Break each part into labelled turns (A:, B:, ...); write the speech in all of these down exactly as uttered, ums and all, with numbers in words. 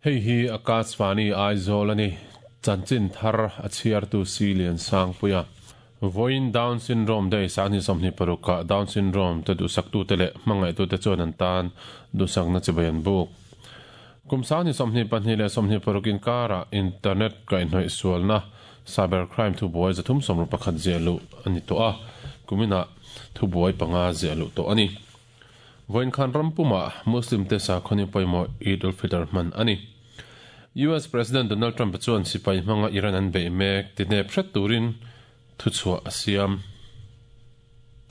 A: Hei hi Akashvani Aizawl ani chanchin thar a chhiartu si lian sang puia Voin Down Syndrome Day sang ni sawmhnih paruk ah Down Syndrome te duhsak tu te leh hmangaih tu te chuan an tan duhsak na chibai an buk. Kum sang ni sawmhnih pahnih leh sawmhnih paruk inkarah internet kaihhnawih sualna cybercrime thubuai zathum sawmruk pakhat ziah luh a ni tawh a, kuminah thubuai panga ziah luh tawh a ni. Voin khan rampumah Muslim te sakhawni pawimawh Eid ul-Fitr hman a ni. U S President Donald Trump chuan sipai hmanga Iran an beih mek tinep hret turin thuchhuah a siam.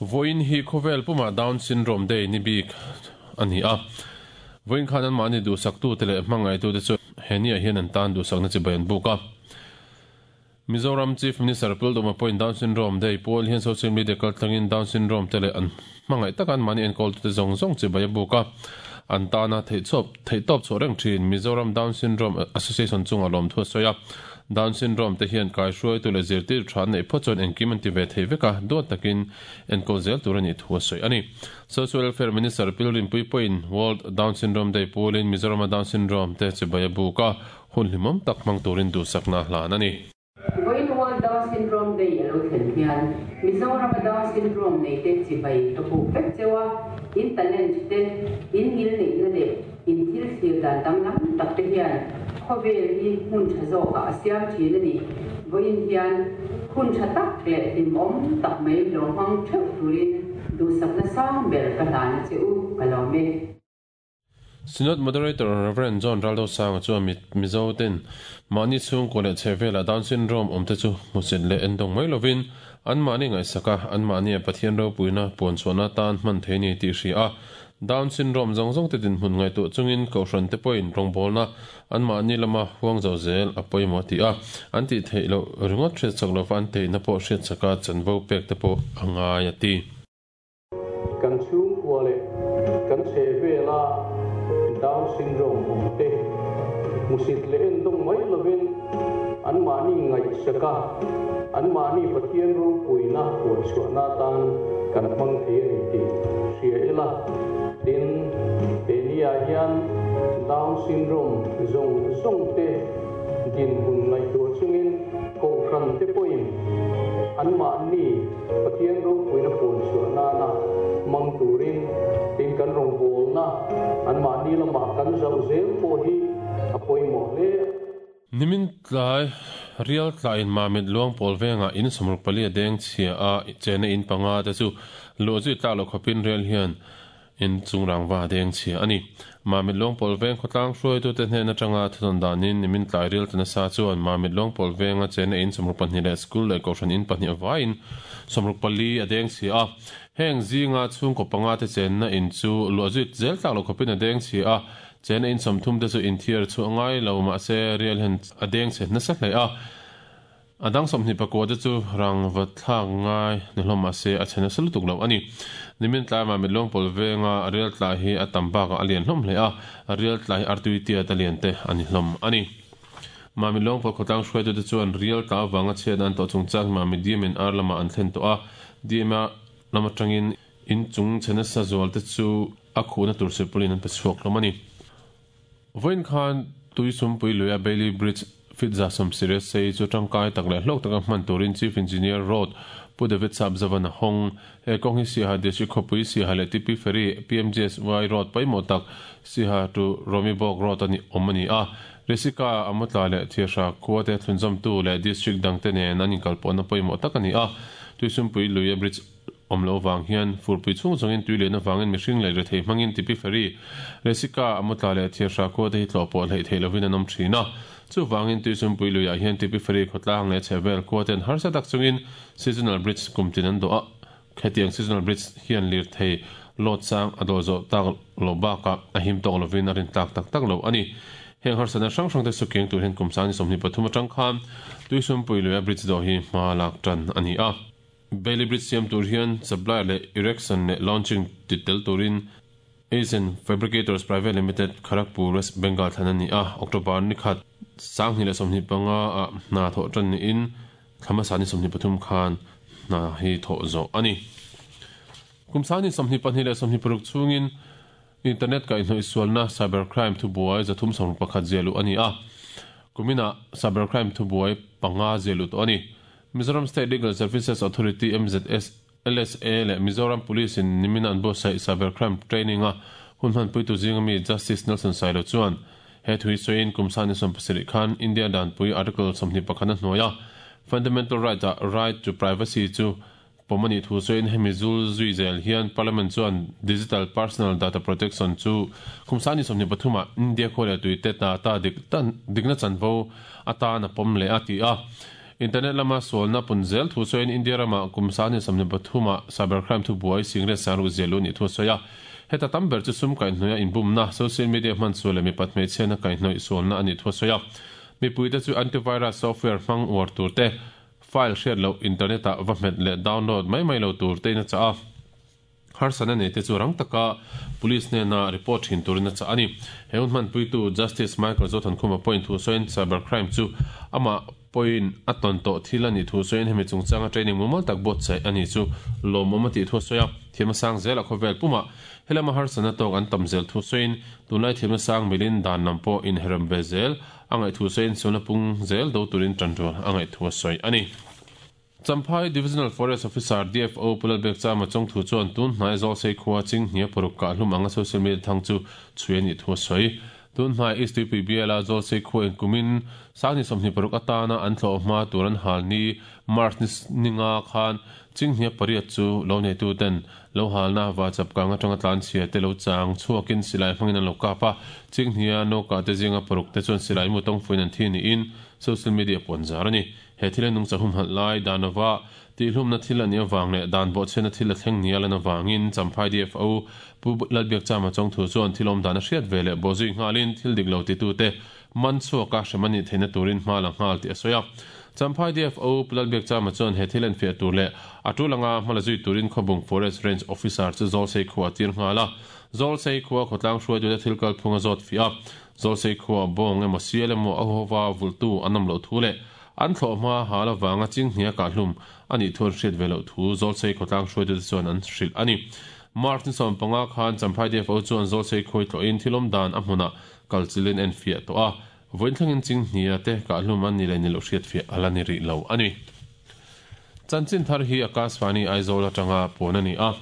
A: Voin hi khawvel pumah Down Syndrome Day ni bik a ni a. Voin khan an mahni duhsak tu te leh hmangaih tu te chu he ni ah hian an tan duhsakna chibai an buk a. Mizoram Chief Minister Pulduma pawhin Down Syndrome Day pawl hian social media kaltlangin Down Syndrome te leh an hmangaih tak an mahni enkawl tu te zawng zawng chibai a buk a. An tana theihtawp theihtawp chhuah reng thin Mizoram Down Syndrome Association chunga lawm thu a sawi a. Down Syndrome te hian kaihruai tu leh zirtir tha an neih phawt chuan engkim an ti ve thei vek a, duat takin enkawl zel tur a nih thu a sawi a ni. Social Welfare Minister Pilrinpui pawhin World Down Syndrome Day pawlin Mizorama Down Syndrome te chibai a buk a, hun hlimawm tak hmang turin duhsakna hlan a ni.
B: Voin World Down Syndrome Day a lo thlen hian Mizorama Down Syndrome nei te chibai ka buk vek cheu a, in talent te, in ngil neihna leh in thil thlir dan danglam tak te hian khawvel hi hmun tha zawkah a siam thin a ni. Voin hian hun tha tak leh hlimawm tak mai lo hmang theuh turin duhsakna sang ber ka hlan a che u ka lawm e.
A: Synod Moderator Reverend John Raldo Sanga chuan Mizo ten mahni chhungkaw leh chhehvelah Down Syndrome awm te chu hmusit leh endawng mai lovin an mahni ngaihsak a, an mahni a Pathian ropuina puan chhuahna tan hman thei ni tih hria a. Down Syndrome zawng zawng te dinhmun ngaihtuah chungin kohhran te pawhin rawngbawlna an mahni lama huang zo zel a pawimawh ti a, an tih theih loh ringawt hriatchak lova an theihna pawh hriatchaka chanvo pek te pawh a ngai a ti.
C: Kan chhungkua leh kan chhehvela Down Syndrome awm te hmusit leh endawng mai lovin an mahni ngaihsak a, an mahni Pathian ropuina puan chhuahna tan kan hmang thei a ni tih hria ila. Tin, he ni-ah hian Down Syndrome zawng zawng te dinhmun ngaihtuah chungin kohhran te pawhin an mahni Pathian ropuina puan chhuah nana hmang turin tin kan rawngbawlna an mahni lamah kan zauh zel pawh hi a pawimawh hle.
A: Nimin tlai rial tlaiin Mamit Luang pawl vengah in sawmruk pali a deng chhia a, chena in panga te chu luh zui tlak loh khawpin rial hian in chungrang va a deng chhia a ni. Mamit Luang pawl veng khawtlang hruaitute hnen atanga thudawn danin nimin tlai rial tana sa chuan Mamit Luang pawl venga chena in sawmruk pahnih leh school leh kohhran in pahnih avaiin sawmruk pali a deng chhia a. Heng zinga chhungkaw panga te chenna in chu luah zui zel tlak loh khawpin a deng chhia a, chena in sawmthum te chu inthiar chu a ngai lo mahse rial hian a deng chhe nasa hle a. A dang sawmhnih pakua te chu rang va thlak ngai ni hlawm mahse a chhe nasa lutuk lo a ni. Nimin tlai Mamit Luang pawl venga rial tlai hi a tam bakah a lian hlawm hle a, rial tlai hi artui tiat a lian te a ni hlawm a ni. Mamit Luang pawl khawtlang hruaitute chuan rial tla avanga chhiatna an tawh chungchang hi Mamit D M N R lamah an thlen tawh a, D M A lam atangin in chung chhe nasa zual te chu a khuhna tur silpawlin an pe chhuak hlawm a ni. Voin khan Tuisumpui luia Bailey Bridge fit za sawm siriat sei chu tangkai tak leh hlawk taka hman turin Chief Engineer Road Pu David Sapzavan a hawng. He kawng hi Siaha District khawpui Siaha leh T P Ferry P M G S Y Road pawimawh tak Siaha to Romibawk Road a ni awm a ni a. Risika Amutla leh Thiahra khua te thlunzawmtu leh district dangte nen an inkalpawhna pawimawh tak a ni a. Tuisumpui luia bridge awm lo vang hian furpui chhung chungin tui lehna vangin mihring leh rethei hmangin T P Ferry Risika Amutla leh Thiahra khua te hi tlawh pawh hleih theih lovin an awm thin a. Chu vangin Tuisumpui luiah hian T P Ferry khawtlang leh chhehvel khua ten harsa tak chungin seasonal bridge kum tin an dawh a. Hetiang seasonal bridge hian lir thei load sang a dawh zawh tak lo bakah a him tawk lovin a rin tlak tak tak lo a ni. Heng harsatna hrang hrang te sukeng tur hian kum sang ni sawmhnih pathum atang khan Tuisumpui luia bridge dawh hi hma lak tan a ni a. Bailey Bridge siam tur hian supplier leh erection leh launching ti tel turin Asian Fabricators Private Limited Kharagpur West Bengal thlan a ni a. October ni khat sanghnih leh sawmhnih panga ah hna thawh tan niin thlamasa ni sawmhnih pathum khan hna hi thawh zawh a ni. Kum sang ni sawmhnih pahnih leh sawmhnih paruk chungin Internet ka inhnawih sualna cybercrime thubuai zathum sawmruk pakhat ziahluh a ni a. Kumina cybercrime thubuai panga ziahluh tawh a ni. Mizoram State Legal Services Authority, M Z S L S A leh Mizoram Police in nimina an buatsaih cybercrime training a hun hmanpuitu zinga mi Justice Nelson Sailo chuan he thui sawiin kum sangni sawm pasarih khan India danpui Article sawmhnih pakhat a hnuaia fundamental right a right to privacy chu pawmani thu sawiin hemi zul zui zel hian Parliament chuan Digital Personal Data Protection chu kum sangni sawmhnih pathuma India khawle tuite ta ta dik tan dikna chanvo atan a pawm leh a ti a. Internet lama sualna pun zel thu sawiin India rama kum sangni sawmhnih pathuma cybercrime thu buai singret sangru zelu ni thu sawi a. Heta tam ber chu sum kaihhnawih a inbumna, social media hman sual leh mipat hmeichhiatna kaihhnawih sualna a nih thu a sawi a. Mipuite chu antivirus software hmang uar tur te, file hriat loh internet ah va hmet leh download mai mai lo tur te in a chah a. Harsatna nei te chu rang taka police hnena report thin turin a chah a ni. He hun hmanpuitu Justice Michael Zothankhuma pawhin thu sawiin cybercrime chu amah pawhin a tawn tawh thil a nih thu sawiin hemi chungchanga training mumal tak buatsaih a ni chu lawmawm a tih thu a sawi a. Thiamna sang zel a khawvel pumah helama harsatna tawk an tam zel thu sawiin tunlai thiamna sang milin dan lam pawh inherem ve zel a ngaih thu sawiin sualna pung zel do turin tanrual a ngaih thu a sawi a ni. Champhai Divisional Forest Officer, D F O Pulalbek Chama chong thu chuan tun hnai Zawlsei khua chinghnia paruk kah hlum anga social media thang chu chhui a nih thu a sawi. Tun hnai East Tuipui biala Zawlsei khua in kumin sangni sawmhnih paruk atana an thlawh hma tur an hal ni March ni ninga khan chinghnia pariat chu lo neitu ten lo halna wa chapkang atanga tlan chhia te lo chang chhuakin silai hmangin an lo kap a. Chinghnia noka te zinga paruk te chuan silai mu tawng fuin an thi niin social media pawn zar a ni. He thil nung chahum hal lai danova ti hlumna thil ani awang leh dan bo chena thil a thleng nial an awangin Champhai D F O Pu Lalbiak Chama chong thu chuan thilawm dan a hriat ve leh bawzui nghalin thil dik lo ti tu te man chhuaka hremani theina turin hma la nghal ti a sawi a. Champhai D F O Pu Lalbiak Chama chuan he thil an fiah tur leh a tulanga hmala zui turin Khawbung Forest Range Officer chu Zawlsei khuwa tir nghala. Zawlsei khuwa khawtlang hruai tu te thil kal phunga zawt fi a. Zawlsei khuwa bawng emaw sial emaw a howa vultu an awm lo thu leh an thlawh hma hal awanga chinghnia kah hlum ani thun hriat ve lo thu Zawlsei khawtlang hruai tu te chuan an hrilh ani. March ni sawm panga khan Champhai D F O chuan Zawlsei khawi tlawhin thilawm dan a hmuna kalchilin en fiah tawh a. Vawiin thlengin chinghnia te kah hlum an ni leh ni lo hriat fiah ala ni rih lo ani. Chanchin thar hi Akashvani Aizawl atanga pawn ani a.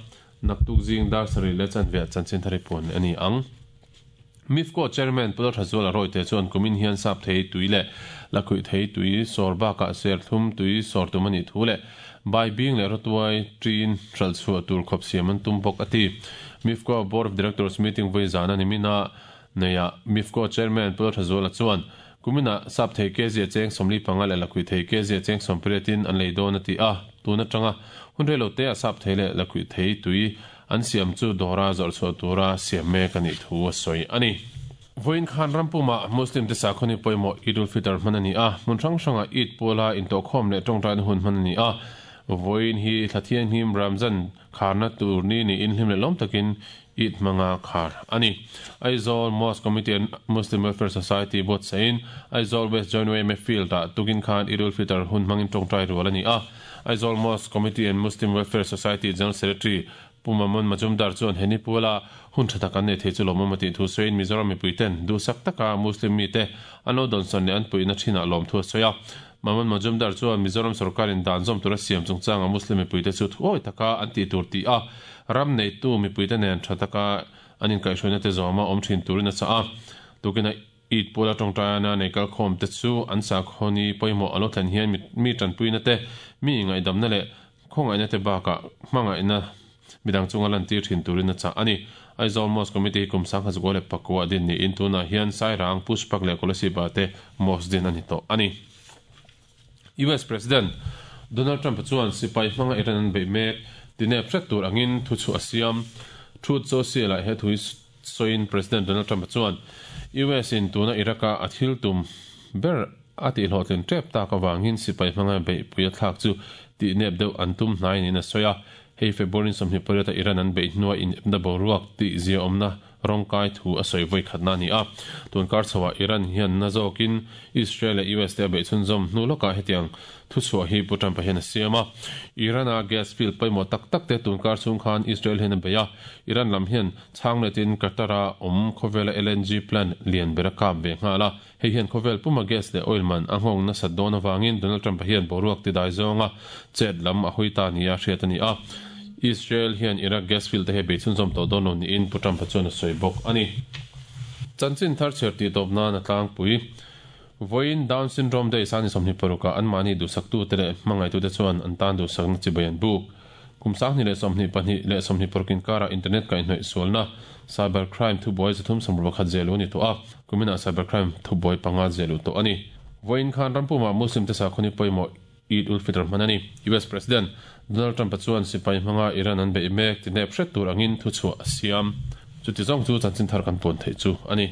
A: Naktuk zing dar sarih leh chanve chanchin thar hi pawn ani ang. MIFCO Chairman Pulal Thazuala Royte chuan kumin hian sap thei tui leh lakhuih thei tui sawr bakah serthlum tui sawr tum ani thu leh bai bing leh rawtuai tin hral chhuah tur khawp siam an tum bawk a ti. MIFCO Board of Directors meeting vui zan ani mina neia MIFCO Chairman Pulal Thazuala chuan kumina sap thei kg cheng sawmli panga leh lakhuih thei kg cheng sawm pariatin an lei dawn a ti a. Tuna tanga hun reilo te a sap thei leh lakhuih thei tui an siam chu dawra zawrh chhuah tura siam mek ani thu a sawi ani. Voin khan rampuma Muslim te sakhawni pawimawh Eid ul Fitr hman ani a. Hmun hrang hranga Eid pawla intawhkhawm leh tawngtaina hun hman ani a. Voin hi thlathian him Ramzan kharna tur ni ni in hlim leh lawm takin Eid hmanga khar ani. Aizawl Mosque Committee and Muslim Welfare Society buatsahin Aizawl West Joint Y M A Field ah tukin khan Eid ul Fitr hun hmangin tawngtai rual ani a. Aizawl Mosque Committee and Muslim Welfare Society General Secretary Pumamon Majumdar chuan heni pula hun tha tak an nei thei chu lawmawm a tih thu sawiin Mizoram mipui ten duhsak taka Muslim mi te an lo dawnsawn leh an puihna thinah lawm thu a sawi a. Mamon Majumdar chuan Mizoram sarkarin dan zawm tura siam chungchanga Muslim mipui te chu thuawi taka an tih tur ti a. Ram neitu mipui te nen tha taka an inkaihhruaina te zawma awm thin turin a chah a. Tukina Eid pula tawngtaina nei kalkhawm te chu an sakhawni pawimawh a lo thlen hian mi tanpuina te mi ngaihdamna leh khawngaihna te bakah hmangaihna midang chunga lan tir thin turin a chah ani. Aizawl Mosque Committee kum sangha zukua leh pakua din ni in tunah hian Sairang, Pushpak leh Kolasib te mosque din ani tawh ani. U S President Donald Trump chuan sipai hmanga Iran an bei mek tinep hret tur angin thu chu a siam. Truth Social ah he thui sawiin President Donald Trump chuan U S in tuna Iraq-a a thil tum ber a tih hlawhtlin tep tak awangin sipai hmanga bei pui a thlak chu tih nep deuh an tum hnai niin a sawi a. Hei February sawmhnih pariat a Iran an bei hnuai in epna boruak tih zia awmna rawngkai thu a sawi vawi khatna ani a. Tun kar chhoah Iran hian na zawkin Israel leh U S te a bei chhunzawm hnu lawkah hetiang Thu chhuah hi Pu Trump-a hian a siam a. Iran-a gas field pawimawh tak tak te tunkar chhung khan Israel hian a bei a. Iran lam hian chhang letin Qatar-a awm khawvela L N G plant lian ber a kap ve nghal a. Hei hian khawvel puma gas leh oil man a nghawng nasat dawn avangin Donald Trump-a hian boruak tidai zawnga chet lam a hawi ta nia hriat a ni a. Israel hian Iraq gas field te hi bei chhunzawm tawh dawn lo niin Pu Trump-a chuan a sawi bawk a ni. Chanchin thar chhiar tih tawp nan a tlangpui. Vawiin Down Syndrome Day sani sawmhnih parukah anmahni duhsaktute leh hmangaitute chuan an tan duhsakna chibai an buk. Kum sanghnih leh sawmhnih pahnih leh sawmhnih paruk inkarah internet kaihhnawih sualna, cyber crime, thubuai zathum sawmruk pakhat zeh luh a ni tawh a, kuminah cyber crime thubuai panga zeh luh tawh a ni. Vawiin khan rampumah Muslim te sakhawni pawimawh Eid ul-Fitr hman a ni. U S President Donald Trump-a chuan sipai hmanga Iran an beih mek tinep hret tur angin thuchhuah a siam. Chuti zawng chu chanchin thar kan puan theih chu a ni.